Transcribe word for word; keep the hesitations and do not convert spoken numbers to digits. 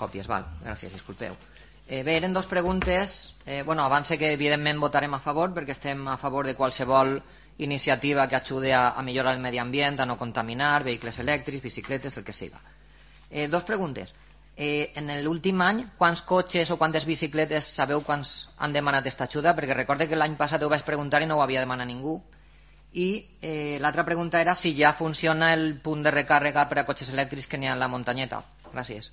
Còpies, val, gràcies, disculpeu. Eh, bé, eren dues preguntes. Eh, bueno, avance que evidentment votarem a favor perquè estem a favor de qualsevol iniciativa que ajude a, a millorar el medi ambient, a no contaminar, vehicles elèctrics, bicicletes, el que siga. Eh, dos preguntes. Eh, en l'últim any, quants cotxes o quantes bicicletes sabeu quants han demanat aquesta ajuda? Perquè recorde que l'any passat ho vaig preguntar i no ho havia demanat ningú. I eh, l'altra pregunta era si ja funciona el punt de recàrrega per a cotxes elèctrics que n'hi ha a la muntanyeta. Gràcies.